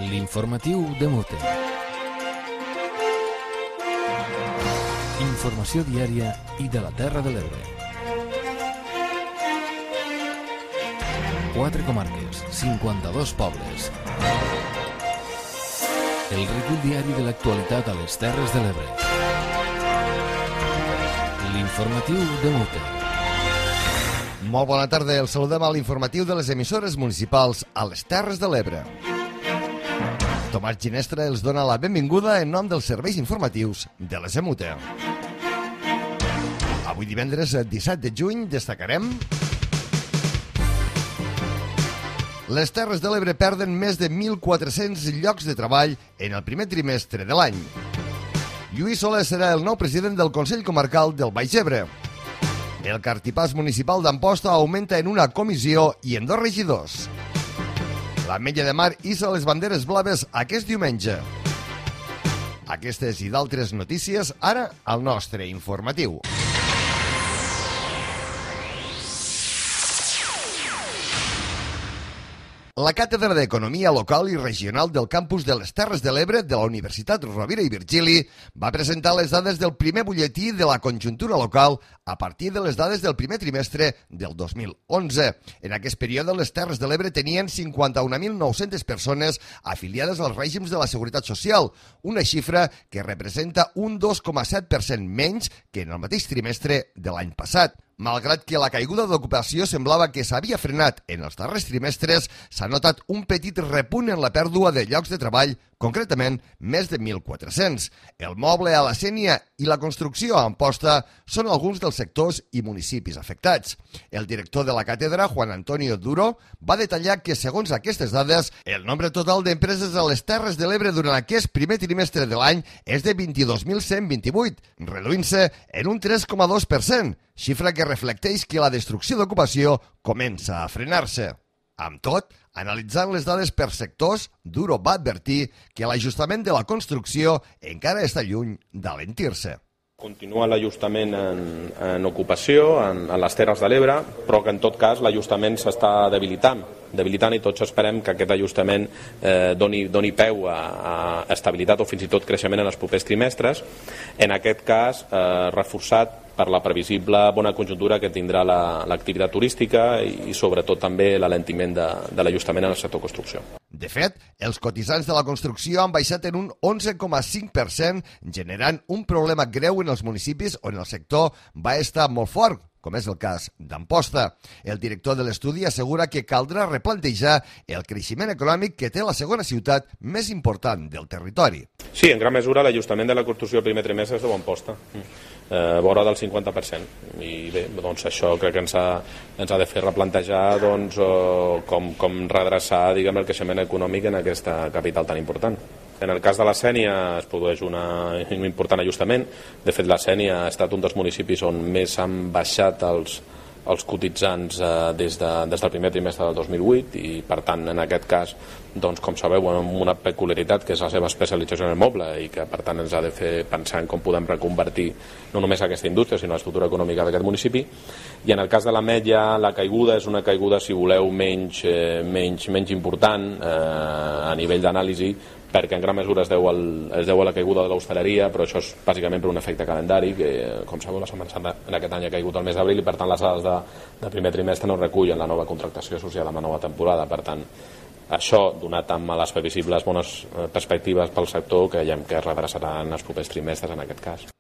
L'informatiu de Mute. Informació diària i de la Terra de l'Ebre. 4 comarques, 52 pobles. El recull diari de l'actualitat a les Terres de l'Ebre. L'informatiu de Mute. Molt bona tarda, el saludem a l'informatiu de les emissores municipals a les Terres de l'Ebre. Tomàs Ginestra els dona la benvinguda en nom dels serveis informatius de les EMUTE. Avui divendres 17 de juny destacarem: les Terres de l'Ebre perden més de 1.400 llocs de treball en el primer trimestre de l'any. Lluís Soler serà el nou president del Consell Comarcal del Baix Ebre. El cartipàs municipal d'Amposta augmenta en una comissió i en 2 regidors. L'Ametlla de Mar hissa les banderes blaves aquest diumenge. Aquestes i d'altres notícies ara al nostre informatiu. La Càtedra d'Economia Local i Regional del Campus de les Terres de l'Ebre de la Universitat Rovira i Virgili va presentar les dades del primer butlletí de la conjuntura local a partir de les dades del primer trimestre del 2011. En aquest període, les Terres de l'Ebre tenien 51.900 persones afiliades als règims de la Seguretat Social, una xifra que representa un 2,7% menys que en el mateix trimestre de l'any passat. Malgrat que la caiguda d'ocupació semblava que s'havia frenat en els darrers trimestres, s'ha notat un petit repunt en la pèrdua de llocs de treball, concretament més de 1.400. El moble a la Sénia i la construcció a Amposta són alguns dels sectors i municipis afectats. El director de la càtedra, Juan Antonio Duro, va detallar que, segons aquestes dades, el nombre total d'empreses a les Terres de l'Ebre durant aquest primer trimestre de l'any és de 22.128, reduint-se en un 3,2%, xifra que reflecteix que la destrucció d'ocupació comença a frenar-se. Amb tot, analitzant les dades per sectors, Duro va advertir que l'ajustament de la construcció encara està lluny d'alentir-se. Continua l'ajustament en ocupació, en les Terres de l'Ebre, però que en tot cas l'ajustament s'està debilitant i tots esperem que aquest ajustament doni peu a estabilitat o fins i tot creixement en els propers trimestres, en aquest cas reforçat per la previsible bona conjuntura que tindrà l'activitat turística i sobretot també l'alentiment de l'ajustament en el sector construcció. De fet, els cotitzants de la construcció han baixat en un 11,5%, generant un problema greu en els municipis on el sector va estar molt fort, com és el cas d'Amposta. El director de l'estudi assegura que caldrà replantejar el creixement econòmic que té la segona ciutat més important del territori. Sí, en gran mesura l'ajustament de la construcció al primer trimestre és de Amposta, vora del 50%. I bé, doncs això crec que ens ha de fer replantejar com redreçar el creixement econòmic en aquesta capital tan important. En el cas de la Sénia es produeix un important ajustament. De fet, la Sénia ha estat un dels municipis on més han baixat els cotitzants des del primer trimestre del 2008 i, per tant, en aquest cas, com sabeu, amb una peculiaritat que és la seva especialització en el moble i que, per tant, ens ha de fer pensar en com podem reconvertir no només aquesta indústria, sinó l'estructura econòmica d'aquest municipi. I en el cas de l'Ametlla, la caiguda és una caiguda, si voleu, menys important a nivell d'anàlisi, perquè en gran mesura es deu a la caiguda de l'hostaleria, però això és bàsicament per un efecte calendari que, com sabeu, la Setmana Santa en aquest any ha caigut el mes d'abril i, per tant, les dades de primer trimestre no recullen la nova contractació associada amb la nova temporada. Per tant, això, donat amb les previsibles bones perspectives pel sector, creiem que es redreçarà en els propers trimestres en aquest cas.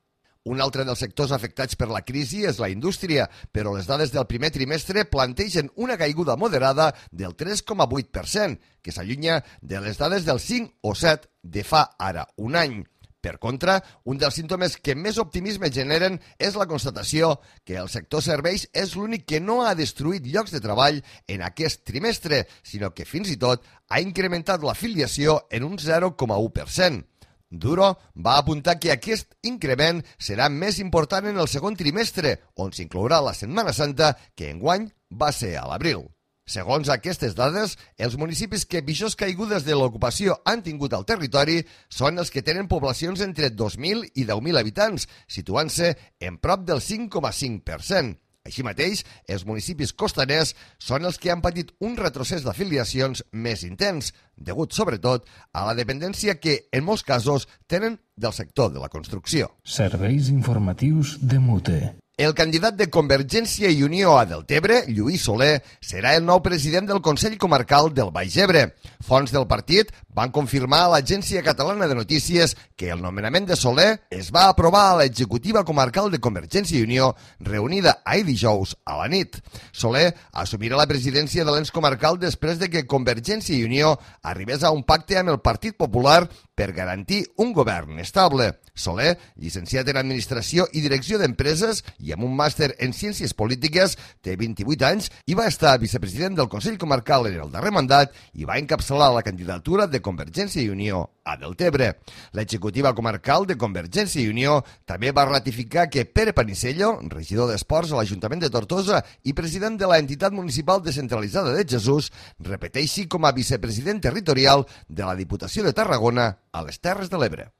Un altre dels sectors afectats per la crisi és la indústria, però les dades del primer trimestre plantegen una caiguda moderada del 3,8%, que s'allunya de les dades del 5 o 7 de fa ara un any. Per contra, un dels símptomes que més optimisme generen és la constatació que el sector serveis és l'únic que no ha destruït llocs de treball en aquest trimestre, sinó que fins i tot ha incrementat l'afiliació en un 0,1%. Duro va apuntar que aquest increment serà més important en el segon trimestre, on s'inclourà la Setmana Santa, que enguany va ser a l'abril. Segons aquestes dades, els municipis que pitjors caigudes de l'ocupació han tingut al territori són els que tenen poblacions entre 2.000 i 10.000 habitants, situant-se en prop del 5,5%. Així mateix, els municipis costaners són els que han patit un retrocés d'afiliacions més intens, degut sobretot a la dependència que, en molts casos, tenen del sector de la construcció. Serveis informatius de Mute. El candidat de Convergència i Unió a Deltebre, Lluís Soler, serà el nou president del Consell Comarcal del Baix Ebre. Fonts del partit van confirmar a l'Agència Catalana de Notícies que el nomenament de Soler es va aprovar a l'executiva comarcal de Convergència i Unió, reunida ahir dijous a la nit. Soler assumirà la presidència de l'ens comarcal després de que Convergència i Unió arribés a un pacte amb el Partit Popular per garantir un govern estable. Soler, llicenciat en Administració i Direcció d'Empreses i amb un màster en Ciències Polítiques, té 28 anys i va estar vicepresident del Consell Comarcal en el darrer mandat i va encapçalar la candidatura de Convergència i Unió a Deltebre. L'executiva comarcal de Convergència i Unió també va ratificar que Pere Panisello, regidor d'Esports a l'Ajuntament de Tortosa i president de l'entitat municipal descentralitzada de Jesús, repeteixi com a vicepresident territorial de la Diputació de Tarragona a les Terres de l'Ebre.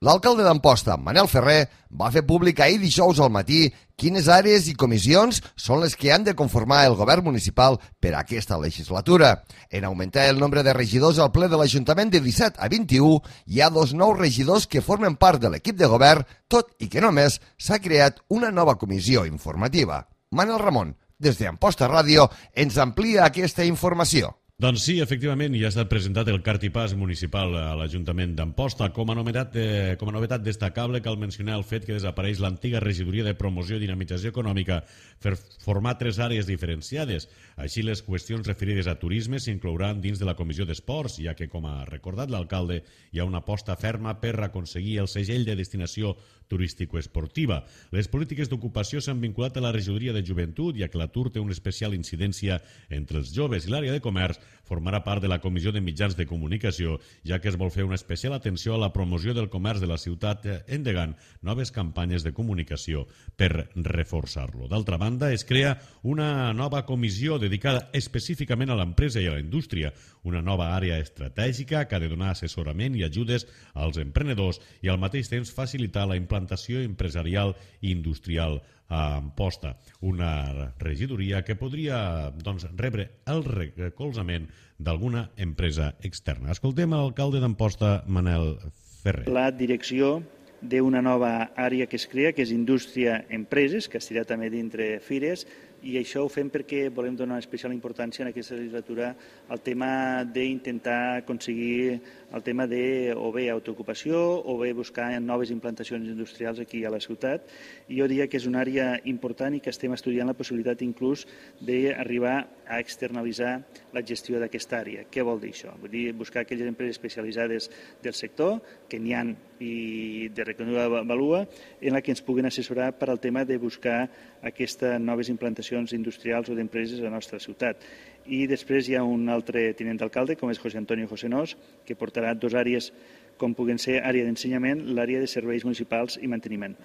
L'alcalde d'Amposta, Manel Ferrer, va fer públic ahir dijous al matí quines àrees i comissions són les que han de conformar el govern municipal per a aquesta legislatura. En augmentar el nombre de regidors al ple de l'Ajuntament de 17 a 21, hi ha 2 nous regidors que formen part de l'equip de govern, tot i que només s'ha creat una nova comissió informativa. Manel Ramon, des d'Amposta Ràdio, ens amplia aquesta informació. Doncs sí, efectivament, ja ha estat presentat el cartipàs municipal a l'Ajuntament d'Amposta. Com a novetat destacable cal mencionar el fet que desapareix l'antiga regidoria de promoció i dinamització econòmica per formar 3 àrees diferenciades. Així, les qüestions referides a turisme s'inclouran dins de la Comissió d'Esports, ja que, com ha recordat l'alcalde, hi ha una aposta ferma per aconseguir el segell de destinació turístico-esportiva. Les polítiques d'ocupació s'han vinculat a la regidoria de joventut, ja que l'atur té una especial incidència entre els joves, i l'àrea de comerç formarà part de la Comissió de Mitjans de Comunicació, ja que es vol fer una especial atenció a la promoció del comerç de la ciutat, endegant noves campanyes de comunicació per reforçar-lo. D'altra banda, es crea una nova comissió dedicada específicament a l'empresa i a la indústria, una nova àrea estratègica que ha de donar assessorament i ajudes als emprenedors i al mateix temps facilitar la implantació empresarial i industrial a Amposta, una regidoria que podria rebre el recolzament d'alguna empresa externa. Escoltem l'alcalde d'Amposta, Manel Ferrer. La direcció d'una nova àrea que es crea, que és Indústria-Empreses, que estirà també dintre Fires, i això ho fem perquè volem donar especial importància en aquesta legislatura al tema d'intentar aconseguir el tema de o bé autoocupació o bé buscar noves implantacions industrials aquí a la ciutat. I jo diria que és una àrea important i que estem estudiant la possibilitat inclús d'arribar a externalitzar la gestió d'aquesta àrea. Què vol dir això? Vull dir, buscar aquelles empreses especialitzades del sector, que n'hi ha i de reconeguda valua, en la que ens puguen assessorar per al tema de buscar aquestes noves implantacions industrials o d'empreses a la nostra ciutat. I després hi ha un altre tinent d'alcalde, com és José Antonio Josenós, que portarà 2 àrees, com puguen ser àrea d'ensenyament, l'àrea de serveis municipals i manteniment.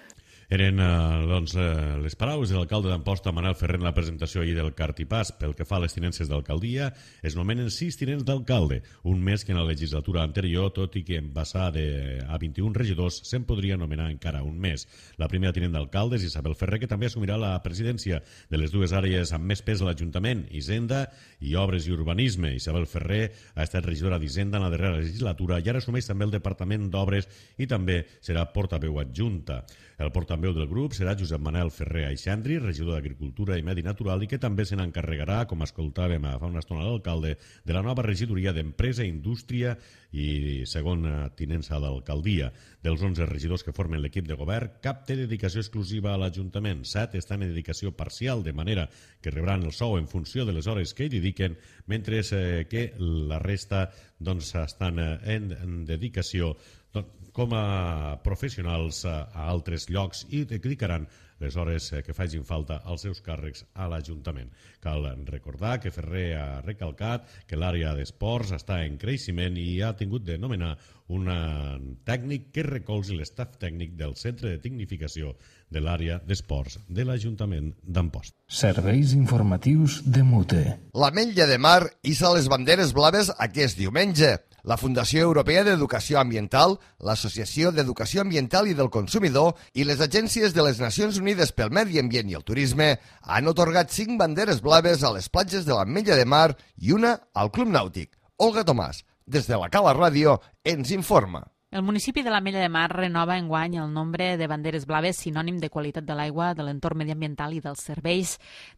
Eren les paraules de l'alcalde d'Amposta, Manel Ferrer, en la presentació ahir del cartipàs. Pel que fa a les tinences d'alcaldia, es nomenen 6 tinents d'alcalde, un més que en la legislatura anterior, tot i que en passar a 21 regidors se'n podria nomenar encara un més. La primera tinent d'alcalde és Isabel Ferrer, que també assumirà la presidència de les 2 àrees amb més pes a l'Ajuntament, Hisenda i Obres i Urbanisme. Isabel Ferrer ha estat regidora d'Hisenda en la darrera legislatura i ara assumeix també el Departament d'Obres i també serà portaveu adjunta. El portaveu del grup serà Josep Manel Ferrer Aixandri, regidor d'Agricultura i Medi Natural, i que també se n'encarregarà, com escoltàvem fa una estona l'alcalde, de la nova regidoria d'Empresa, Indústria i segona tinença d'alcaldia. Dels 11 regidors que formen l'equip de govern, cap té dedicació exclusiva a l'Ajuntament. 7 estan en dedicació parcial, de manera que rebran el sou en funció de les hores que hi dediquen, mentre que la resta estan en dedicació com a professionals a altres llocs i dedicaran les hores que facin falta als seus càrrecs a l'Ajuntament. Cal recordar que Ferrer ha recalcat que l'àrea d'esports està en creixement i ha tingut de nomenar un tècnic que recolzi l'estaf tècnic del Centre de Tecnificació de l'àrea d'esports de l'Ajuntament d'Amposta. Serveis informatius de Mute. L'Ametlla de Mar hissa les banderes blaves aquest diumenge. La Fundació Europea d'Educació Ambiental, l'Associació d'Educació Ambiental i del Consumidor i les agències de les Nacions Unides pel Medi Ambient i el Turisme han atorgat 5 banderes blaves a les platges de l'Ametlla de Mar i una al Club Nàutic. Olga Tomàs, des de la Cala Ràdio, ens informa. El municipi de l'Ametlla de Mar renova enguany el nombre de banderes blaves sinònim de qualitat de l'aigua, de l'entorn mediambiental i dels serveis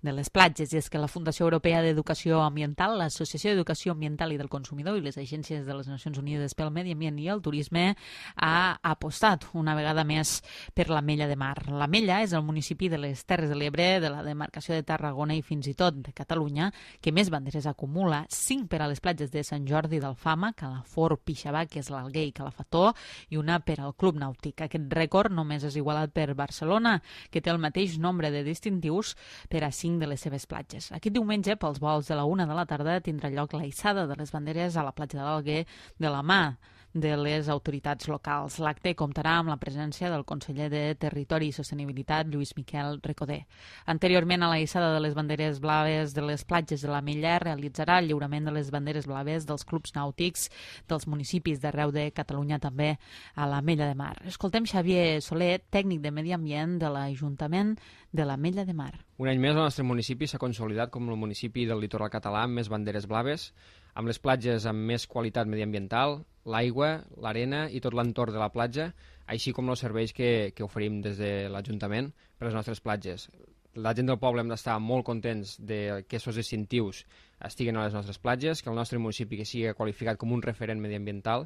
de les platges. I és que la Fundació Europea d'Educació Ambiental, l'Associació d'Educació Ambiental i del Consumidor i les agències de les Nacions Unides pel Medi Ambient i el Turisme ha apostat una vegada més per l'Ametlla de Mar. L'Ametlla és el municipi de les Terres de l'Ebre, de la demarcació de Tarragona i fins i tot de Catalunya que més banderes acumula, 5 per a les platges de Sant Jordi d'Alfama, Calafort, Pixabà, que és l'Alguer i Calafató, i una per al Club Nàutic. Aquest rècord només és igualat per Barcelona, que té el mateix nombre de distintius per a 5 de les seves platges. Aquest diumenge, pels vols de la 1 de la tarda, tindrà lloc la hissada de les banderes a la platja de l'Alguer de la mà de les autoritats locals. L'acte comptarà amb la presència del conseller de Territori i Sostenibilitat, Lluís Miquel Recoder. Anteriorment a la hissada de les banderes blaves de les platges de l'Ametlla, realitzarà el lliurament de les banderes blaves dels clubs nàutics dels municipis d'arreu de Catalunya, també a l'Ametlla de Mar. Escoltem Xavier Soler, tècnic de Medi Ambient de l'Ajuntament de l'Ametlla de Mar. Un any més el nostre municipi s'ha consolidat com el municipi del litoral català amb més banderes blaves, amb les platges amb més qualitat mediambiental, l'aigua, l'arena i tot l'entorn de la platja, així com els serveis que oferim des de l'Ajuntament per a les nostres platges. La gent del poble hem d'estar molt contents de que aquests distintius estiguen a les nostres platges, que el nostre municipi que sigui qualificat com un referent mediambiental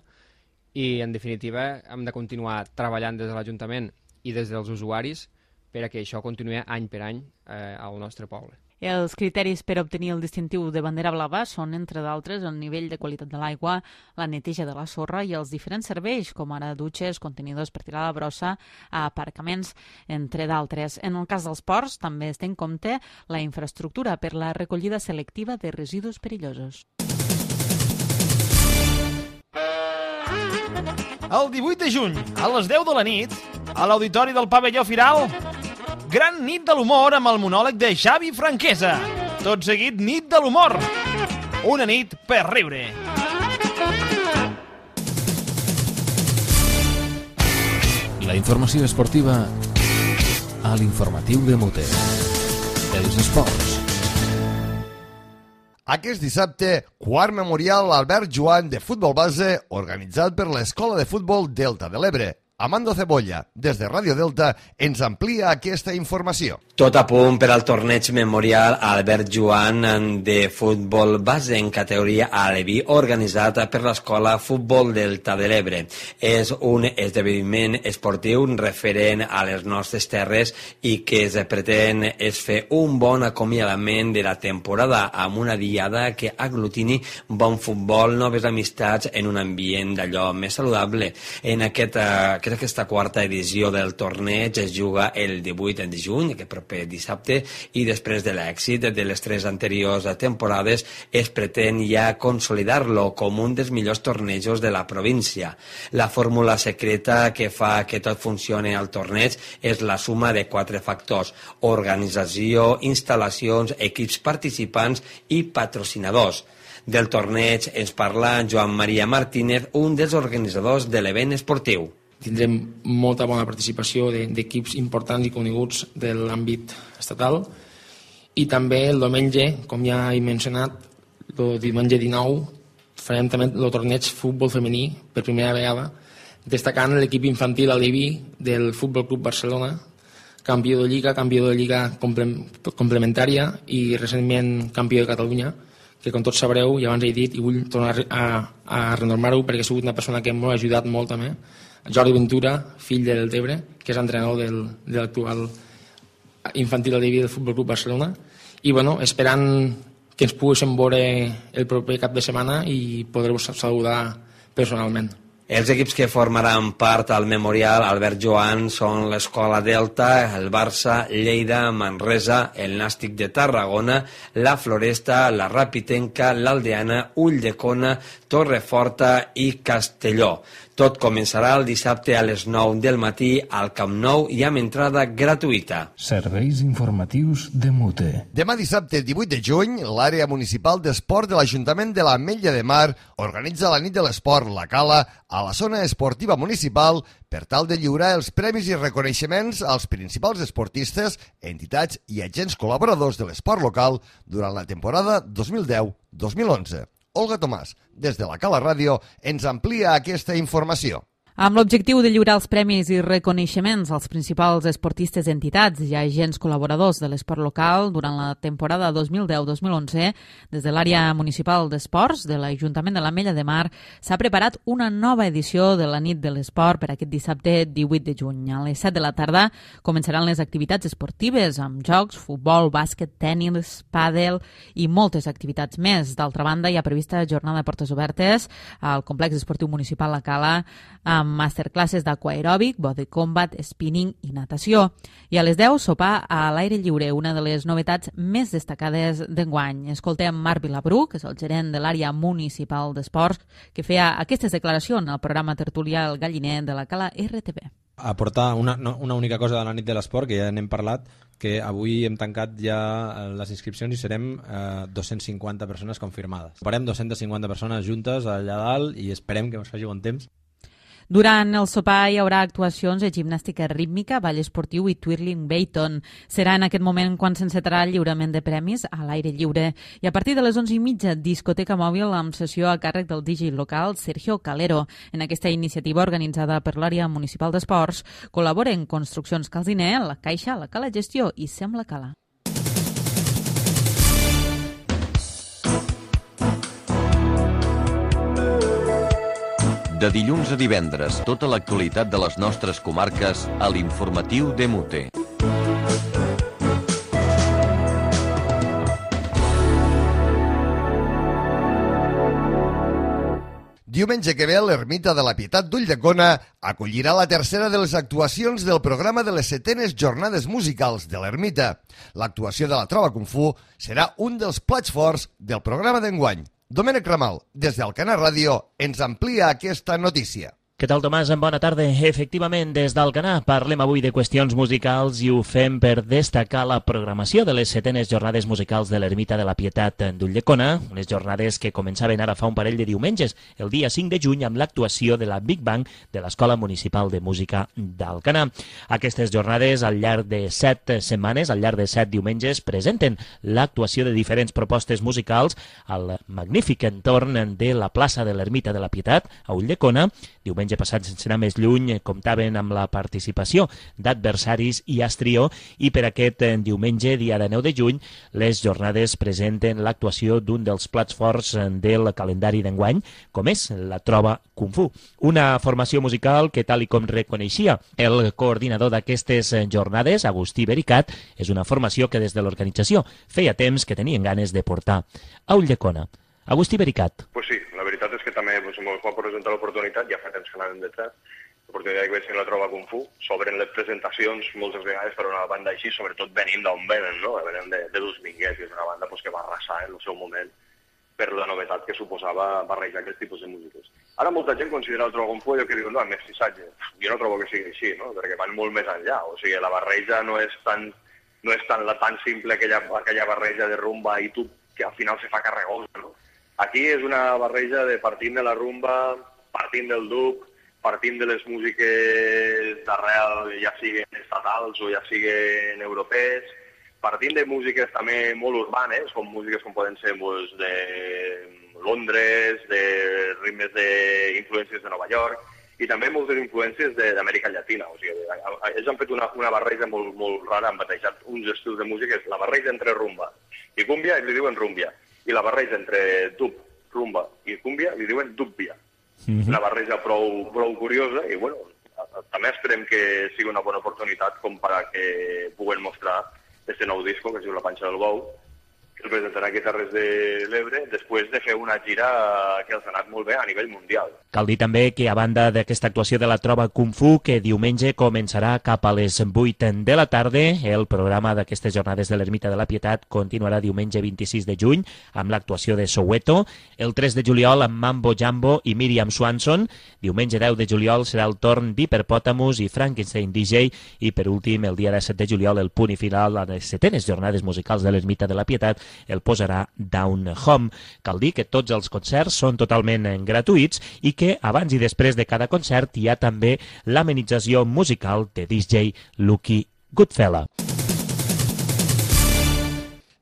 i, en definitiva, hem de continuar treballant des de l'Ajuntament i des dels usuaris per a que això continuï any per any al nostre poble. Els criteris per obtenir el distintiu de bandera blava són, entre d'altres, el nivell de qualitat de l'aigua, la neteja de la sorra i els diferents serveis, com ara dutxes, contenidors per tirar la brossa, a aparcaments, entre d'altres. En el cas dels ports, també es té en compte la infraestructura per la recollida selectiva de residus perillosos. El 18 de juny, a les 10 de la nit, a l'Auditori del Pavelló Firal, gran nit de l'humor amb el monòleg de Xavi Franquesa. Tot seguit, nit de l'humor. Una nit per riure. La informació esportiva a l'informatiu de Mote. Els esports. Aquest dissabte, quart memorial Albert Joan de futbol base organitzat per l'Escola de Futbol Delta de l'Ebre. Amando Cebolla, des de Ràdio Delta, ens amplia aquesta informació. Tot a punt per al torneig memorial Albert Joan de futbol base en categoria aleví organitzat per l'Escola Futbol Delta de l'Ebre. És un esdeveniment esportiu referent a les nostres terres i que es pretén és fer un bon acomiadament de la temporada amb una diada que aglutini bon futbol, noves amistats en un ambient d'allò més saludable. En aquesta quarta edició del torneig es juga el 18 de juny, aquest proper dissabte, i després de l'èxit de les 3 anteriors temporades es pretén ja consolidar-lo com un dels millors tornejos de la província. La fórmula secreta que fa que tot funcioni al torneig és la suma de 4 factors: organització, instal·lacions, equips participants i patrocinadors. Del torneig ens parla Joan Maria Martínez, un dels organitzadors de l'event esportiu. Tindrem molta bona participació d'equips importants i coneguts de l'àmbit estatal i també el diumenge, com ja he mencionat, el diumenge 19 farem també el torneig futbol femení per primera vegada, destacant l'equip infantil aleví del Futbol Club Barcelona, campió de lliga complementària i recentment campió de Catalunya, que com tots sabreu, ja abans he dit i vull tornar a renormar-ho perquè ha sigut una persona que m'ha ajudat molt també, Jordi Ventura, fill del Tebre, que és entrenador de l'actual infantil aleví del Futbol Club Barcelona, i bueno, esperant que ens poguéssim veure el proper cap de setmana i poder-vos saludar personalment. Els equips que formaran part al Memorial Albert Joan són l'Escola Delta, el Barça, Lleida, Manresa, el Nàstic de Tarragona, la Floresta, la Rapitenca, l'Aldeana, Ulldecona, Torreforta i Castelló. Tot començarà el dissabte a les 9 del matí al Camp Nou i amb entrada gratuïta. Serveis informatius de Mute. Demà dissabte 18 de juny, l'àrea municipal d'esport de l'Ajuntament de l'Ametlla de Mar organitza la nit de l'esport La Cala a la zona esportiva municipal per tal de lliurar els premis i reconeixements als principals esportistes, entitats i agents col·laboradors de l'esport local durant la temporada 2010-2011. Olga Tomàs, des de la Cala Ràdio, ens amplia aquesta informació. Amb l'objectiu de lliurar els premis i reconeixements als principals esportistes, entitats i agents col·laboradors de l'esport local durant la temporada 2010-2011, des de l'àrea municipal d'esports de l'Ajuntament de l'Ametlla de Mar s'ha preparat una nova edició de la nit de l'esport per aquest dissabte 18 de juny. A les 7 de la tarda començaran les activitats esportives amb jocs, futbol, bàsquet, tenis, pàdel i moltes activitats més. D'altra banda, hi ha prevista jornada de portes obertes al complex esportiu municipal La Cala amb masterclasses d'aquaeròbic, body combat, spinning i natació. I a les 10, sopar a l'aire lliure, una de les novetats més destacades d'enguany. Escoltem Marc Vilabrú, que és el gerent de l'àrea municipal d'esports, que feia aquestes declaracions al programa tertulià El Galliner de la Cala RTV. Aportar una única cosa de la nit de l'esport, que ja n'hem parlat, que avui hem tancat ja les inscripcions i serem 250 persones confirmades. Farem 250 persones juntes allà dalt i esperem que ens faci bon temps. Durant el sopar hi haurà actuacions de gimnàstica rítmica, ball esportiu i twirling Bayton. Serà en aquest moment quan s'encetarà el lliurament de premis a l'aire lliure. I a partir de les 11:30, discoteca mòbil amb sessió a càrrec del DJ local Sergio Calero. En aquesta iniciativa organitzada per l'àrea municipal d'esports col·laboren Construccions Calziner, La Caixa, La Cala Gestió i Sembla Cala. De dilluns a divendres, tota l'actualitat de les nostres comarques a l'informatiu de Mute. Diumenge que ve, l'Ermita de la Pietat d'Ulldecona acollirà la tercera de les actuacions del programa de les 7enes Jornades Musicals de l'Ermita. L'actuació de la Trova Kung Fu serà un dels plats forts del programa d'enguany. Domènec Ramal, des d'Alcanar Ràdio, ens amplia aquesta notícia. Què tal, Tomàs? Bona tarda. Efectivament, des d'Alcanar parlem avui de qüestions musicals i ho fem per destacar la programació de les 7enes Jornades Musicals de l'Ermita de la Pietat d'Ulldecona, unes jornades que començaven ara fa un parell de diumenges, el dia 5 de juny, amb l'actuació de la Big Bang de l'Escola Municipal de Música d'Alcanar. Aquestes jornades, al llarg de 7 setmanes, al llarg de 7 diumenges, presenten l'actuació de diferents propostes musicals al magnífic entorn de la plaça de l'Ermita de la Pietat, a Ulldecona. Diumenge passat, sense anar més lluny, comptaven amb la participació d'Adversaris i Astrió, i per aquest diumenge, dia de 9 de juny, les jornades presenten l'actuació d'un dels plats forts del calendari d'enguany, com és la Trova Kung Fu. Una formació musical que, tal i com reconeixia el coordinador d'aquestes jornades, Agustí Bericat, és una formació que des de l'organització feia temps que tenien ganes de portar a Ulldecona. Agustí Bericat. Pues sí, la veritat és que també ens va presentar l'oportunitat, ja fa temps que anàvem detrás, l'oportunitat que vaig tenir la Trova Kung Fu, s'obren les presentacions moltes vegades per una banda així, sobretot venim d'on venen, no? Venim de Dus Minguets, que és una banda que va arrasar en el seu moment per la novetat que suposava barrejar aquest tipus de músiques. Ara molta gent considera el Trova Kung Fu allò que diu, no, és mestissatge. Jo no trobo que sigui així, no? Perquè van molt més enllà, o sigui, la barreja no és tan simple aquella barreja de rumba i tub que al final se fa carregosa, no? Aquí és una barreja de partint de la rumba, partint del dub, partint de les músiques d'arrel, ja siguin estatals o ja siguin europees, partint de músiques també molt urbanes, com músiques com poden ser de Londres, de ritmes d'influències de Nova York, i també moltes influències d'Amèrica Llatina. O sigui, ells han fet una barreja molt rara, han batejat uns estils de música, és la barreja entre rumba i cúmbia, i li diuen rumbia. I la barreja entre dub, rumba i cúmbia li diuen dubbia. Una barreja prou curiosa i, bueno, també esperem que sigui una bona oportunitat com per a que puguem mostrar aquest nou disco que es diu La Panxa del Bou que el presentarà aquí a Terres de l'Ebre, després de fer una gira que els ha anat molt bé a nivell mundial. Cal dir també que, a banda d'aquesta actuació de la Trova Kung Fu, que diumenge començarà cap a les 8 de la tarda, el programa d'aquestes jornades de l'Ermita de la Pietat continuarà diumenge 26 de juny amb l'actuació de Soweto, el 3 de juliol amb Mambo Jambo i Miriam Swanson, diumenge 10 de juliol serà el torn d'Hiperpotamus i Frankenstein DJ, i per últim, el dia 17 de juliol, el punt i final a les 7enes jornades musicals de l'Ermita de la Pietat, el posarà Down Home. Cal dir que tots els concerts són totalment gratuïts i que abans i després de cada concert hi ha també l'amenització musical de DJ Lucky Goodfella.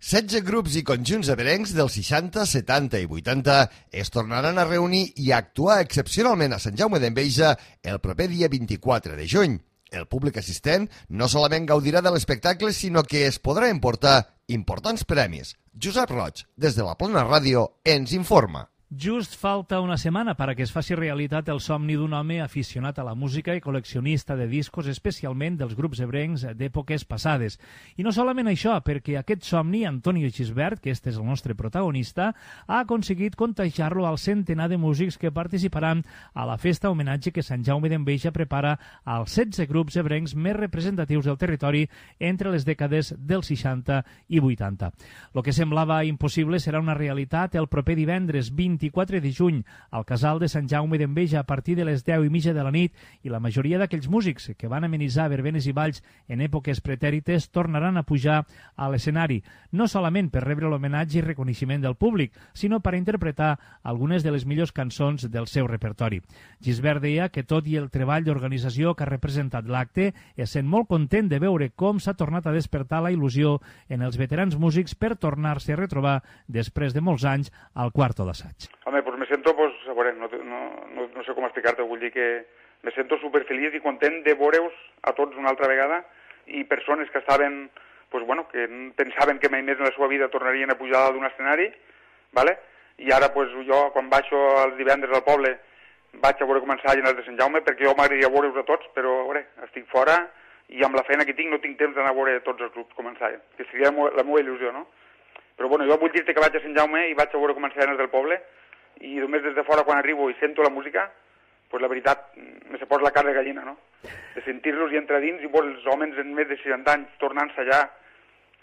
16 grups i conjunts eberencs dels 60, 70 i 80 es tornaran a reunir i a actuar excepcionalment a Sant Jaume d'Enveja el proper dia 24 de juny. El públic assistent no solament gaudirà de l'espectacle, sinó que es podrà emportar importants premis. Josep Roig, des de la Plana Ràdio, ens informa. Just falta una setmana perquè es faci realitat el somni d'un home aficionat a la música i col·leccionista de discos, especialment dels grups ebrencs d'èpoques passades. I no solament això, perquè aquest somni, Antonio Gisbert, que este és el nostre protagonista, ha aconseguit contagiar-lo al centenar de músics que participaran a la festa homenatge que Sant Jaume d'Enveja prepara als 16 grups ebrencs més representatius del territori entre les dècades dels 60 i 80. Lo que semblava impossible serà una realitat el proper divendres 24 de juny al Casal de Sant Jaume d'Enveja a partir de les 10:30 de la nit, i la majoria d'aquells músics que van amenitzar verbenes i balls en èpoques pretèrites tornaran a pujar a l'escenari, no solament per rebre l'homenatge i reconeixement del públic, sinó per interpretar algunes de les millors cançons del seu repertori. Gisbert deia que tot i el treball d'organització que ha representat l'acte, es sent molt content de veure com s'ha tornat a despertar la il·lusió en els veterans músics per tornar-se a retrobar després de molts anys al quarto d'assaig. Home, pues me siento, pues, a veure, no sé com explicar-te, vull dir que me siento superfeliç i content de veure-us a tots una altra vegada, i persones que estaven, pues, bueno, que pensaven que mai més en la seva vida tornarien a pujar d'un escenari, ¿vale? I ara, pues, jo, quan baixo els divendres al poble, vaig a veure començar a llenar de Sant Jaume, perquè jo m'agradaria veure-us a tots, però, a veure, estic fora i amb la feina que tinc no tinc temps d'anar a veure tots els grups començar, que seria la meva il·lusió, no? Però, bueno, jo vull dir-te que vaig a Sant Jaume i vaig a veure començar a llenar del poble, i només des de fora quan arribo i sento la música, pues la veritat, me se posa la carn de gallina, no? De sentir-los i entrar dins i veure els homes en més de 60 anys tornant-se allà,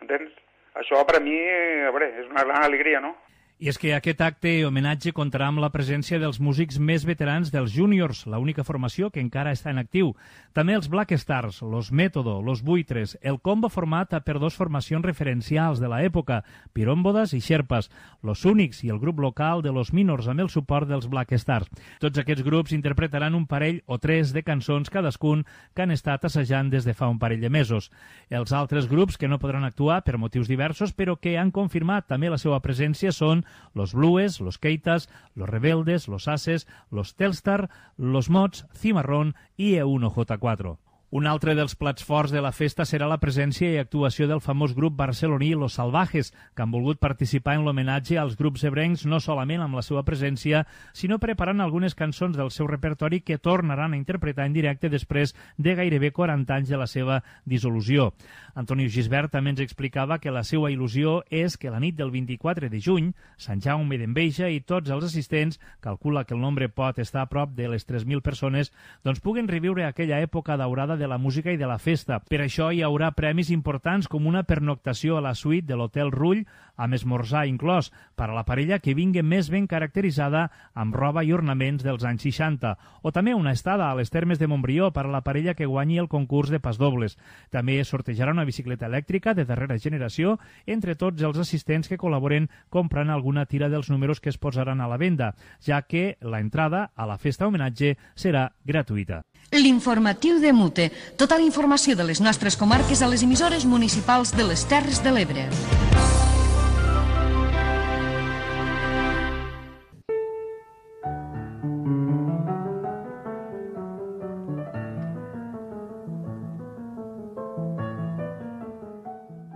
entens? Això per a mi, a veure, és una gran alegria, no? I és que aquest acte homenatge comptarà amb la presència dels músics més veterans dels Juniors, l'única formació que encara està en actiu. També els Black Stars, los Método, los Buitres, el combo format per dos formacions referencials de l'època, Pirómbodas i Xerpas, los Únics i el grup local de los Minors amb el suport dels Black Stars. Tots aquests grups interpretaran un parell o tres de cançons cadascun que han estat assajant des de fa un parell de mesos. Els altres grups que no podran actuar per motius diversos però que han confirmat també la seva presència són los Blues, los Keitas, los Rebeldes, los Ases, los Telstar, los Mods, Cimarrón i E1J4. Un altre dels plats forts de la festa serà la presència i actuació del famós grup barceloní Los Salvajes, que han volgut participar en l'homenatge als grups ebrencs no solament amb la seva presència, sinó preparant algunes cançons del seu repertori que tornaran a interpretar en directe després de gairebé 40 anys de la seva dissolució. Antonio Gisbert també ens explicava que la seva il·lusió és que la nit del 24 de juny, Sant Jaume d'Enveja i tots els assistents, calcula que el nombre pot estar a prop de les 3.000 persones, doncs puguen reviure aquella època daurada de la música i de la festa. Per això hi haurà premis importants com una pernoctació a la suite de l'Hotel Rull, amb esmorzar inclòs, per a la parella que vingui més ben caracteritzada amb roba i ornaments dels anys 60, o també una estada a les Termes de Montbrió per a la parella que guanyi el concurs de pasdobles. També sortejarà una bicicleta elèctrica de darrera generació entre tots els assistents que col·laboren comprant alguna tira dels números que es posaran a la venda, ja que la entrada a la festa homenatge serà gratuïta. L'informatiu de Mute. Tota la informació de les nostres comarques a les emissores municipals de les Terres de l'Ebre.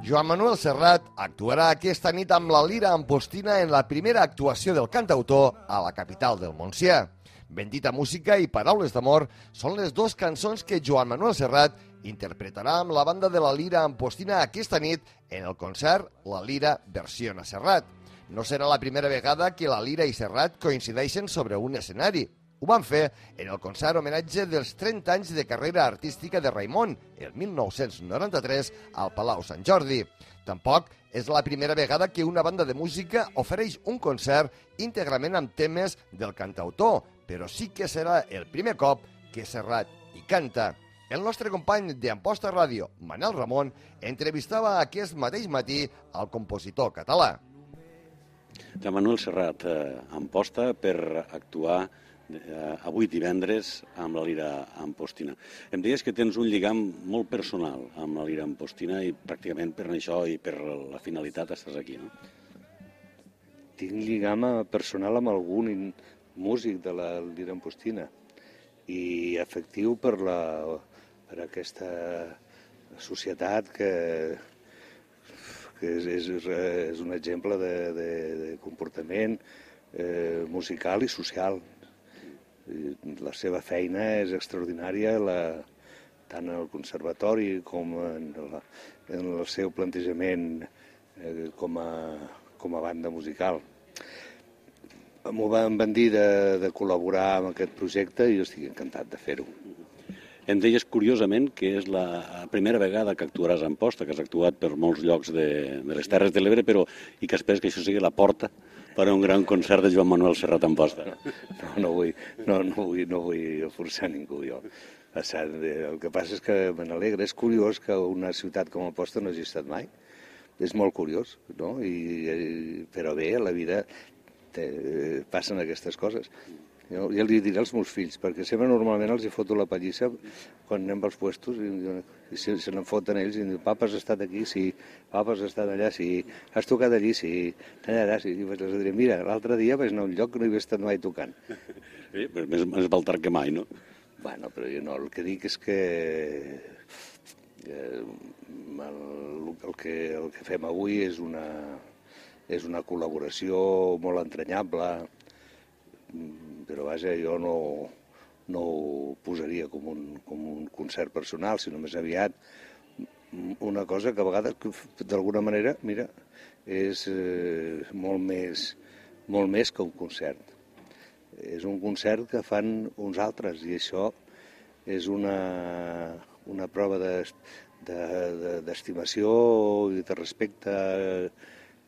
Joan Manuel Serrat actuarà aquesta nit amb la Lira Ampostina en la primera actuació del cantautor a la capital del Montsià. Bendita música i paraules d'amor són les dues cançons que Joan Manuel Serrat interpretarà amb la banda de la Lira Ampostina aquesta nit en el concert La Lira versió a Serrat. No serà la primera vegada que la Lira i Serrat coincideixen sobre un escenari. Ho van fer en el concert homenatge dels 30 anys de carrera artística de Raimon, el 1993, al Palau Sant Jordi. Tampoc és la primera vegada que una banda de música ofereix un concert íntegrament amb temes del cantautor, però sí que serà el primer cop que Serrat hi canta. El nostre company d'Amposta Ràdio, Manel Ramon, entrevistava aquest mateix matí al compositor català. De Manuel Serrat, Amposta, per actuar avui divendres amb la Lira Ampostina. Em deies que tens un lligam molt personal amb la Lira Ampostina i pràcticament per això i per la finalitat estàs aquí, no? Tinc lligam personal amb algun músic de la Lira Ampostina i afectiu per aquesta societat que és un exemple de comportament musical i social. La seva feina és extraordinària, tant en el conservatori com en el seu plantejament com a banda musical. M'ho van dir de col·laborar amb aquest projecte i jo estic encantat de fer-ho. Em deies curiosament que és la primera vegada que actuaràs a Amposta, que has actuat per molts llocs de les Terres de l'Ebre, i que esperes que això sigui la porta per a un gran concert de Joan Manuel Serrat a Amposta. No vull forçar ningú, jo. El que passa és que me n'alegra. És curiós que una ciutat com Amposta no hagi estat mai. És molt curiós, no? Però bé, a la vida passen aquestes coses. Jo ja li diré als meus fills, perquè sempre normalment els hi foto la pallissa quan anem als puestos i se n'en foten ells i diuen, papa, has estat aquí? Sí. Papa, has estat allà? Sí. Has tocat allí? Sí. Allà? Sí. I els diré, mira, l'altre dia vaig anar a un lloc que no hi havia estat mai tocant. Sí, més val tard que mai, no? Bueno, però jo no, el que dic és que el que fem avui és una col·laboració molt entranyable, però vaja, jo no ho posaria com un concert personal, sinó més aviat una cosa que a vegades, d'alguna manera, mira, és molt més que un concert. És un concert que fan uns altres i això és una prova d'estimació i de respecte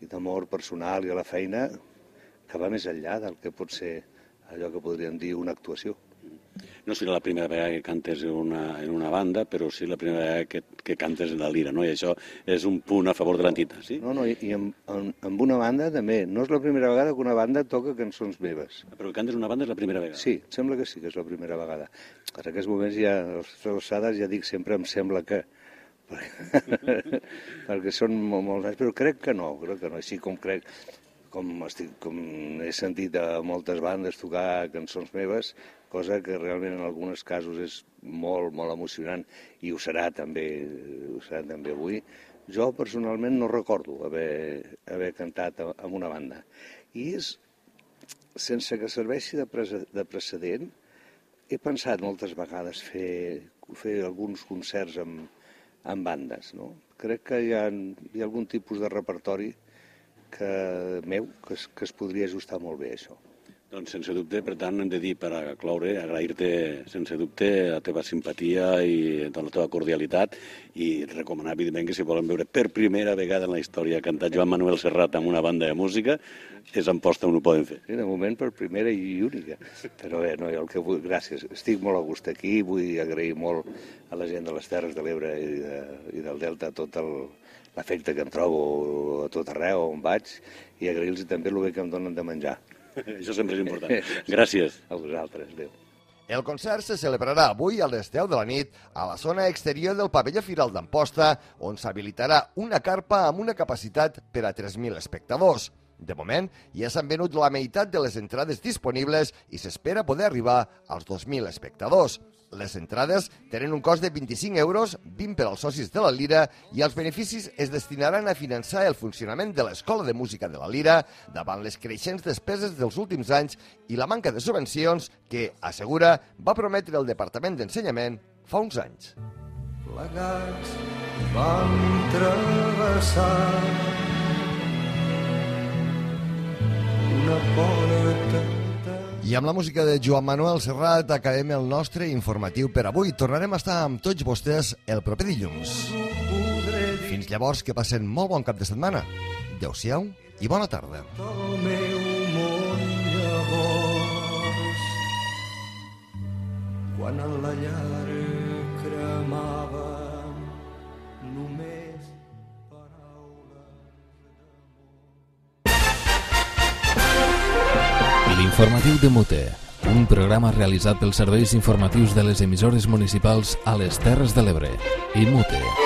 i d'amor personal i a la feina que va més enllà del que pot ser allò que podríem dir una actuació. No serà la primera vegada que cantes en una banda, però sí la primera vegada que cantes en la Lira, no? I això és un punt a favor de l'entitat, sí? No, i amb una banda també. No és la primera vegada que una banda toca cançons meves. Però que cantes una banda és la primera vegada? Sí, sembla que sí que és la primera vegada. En aquests moments ja, a les alçades, ja dic sempre em sembla que, perquè són molts anys, però crec que no, així com crec, com he sentit a moltes bandes tocar cançons meves, cosa que realment en alguns casos és molt, molt emocionant, i ho serà també avui. Jo personalment no recordo haver cantat amb una banda. I és, sense que serveixi de precedent, he pensat moltes vegades fer alguns concerts amb bandes, no? Crec que hi ha algun tipus de repertori meu que es podria ajustar molt bé a això. Doncs sense dubte, per tant, hem de dir, per cloure, agrair-te sense dubte la teva simpatia i la teva cordialitat i recomanar, evidentment, que si volen veure per primera vegada en la història cantar Joan Manuel Serrat amb una banda de música, és Amposta on ho poden fer. Sí, de moment per primera i única. Però bé, no, el que vull, gràcies. Estic molt a gust aquí, vull agrair molt a la gent de les Terres de l'Ebre i del Delta tot l'afecte que em trobo a tot arreu on vaig i agrair-los també el bé que em donen de menjar. Això sempre és important. Gràcies. A vosaltres, adéu. El concert se celebrarà avui a les 10 de la nit a la zona exterior del pavelló Firal d'Amposta, on s'habilitarà una carpa amb una capacitat per a 3.000 espectadors. De moment, ja s'han venut la meitat de les entrades disponibles i s'espera poder arribar als 2.000 espectadors. Les entrades tenen un cost de 25 euros, 20 per als socis de la Lira, i els beneficis es destinaran a finançar el funcionament de l'Escola de Música de la Lira davant les creixents despeses dels últims anys i la manca de subvencions que, assegura, va prometre el Departament d'Ensenyament fa uns anys. Plegats vam travessar una porta. I amb la música de Joan Manuel Serrat acabem el nostre informatiu per avui. Tornarem a estar amb tots vostès el proper dilluns. Fins llavors, que passen molt bon cap de setmana. Adéu-siau i bona tarda. El meu món llavors, quan en la llar cremava només L'informatiu de Mute, un programa realitzat pels serveis informatius de les emissores municipals a les Terres de l'Ebre i Mute.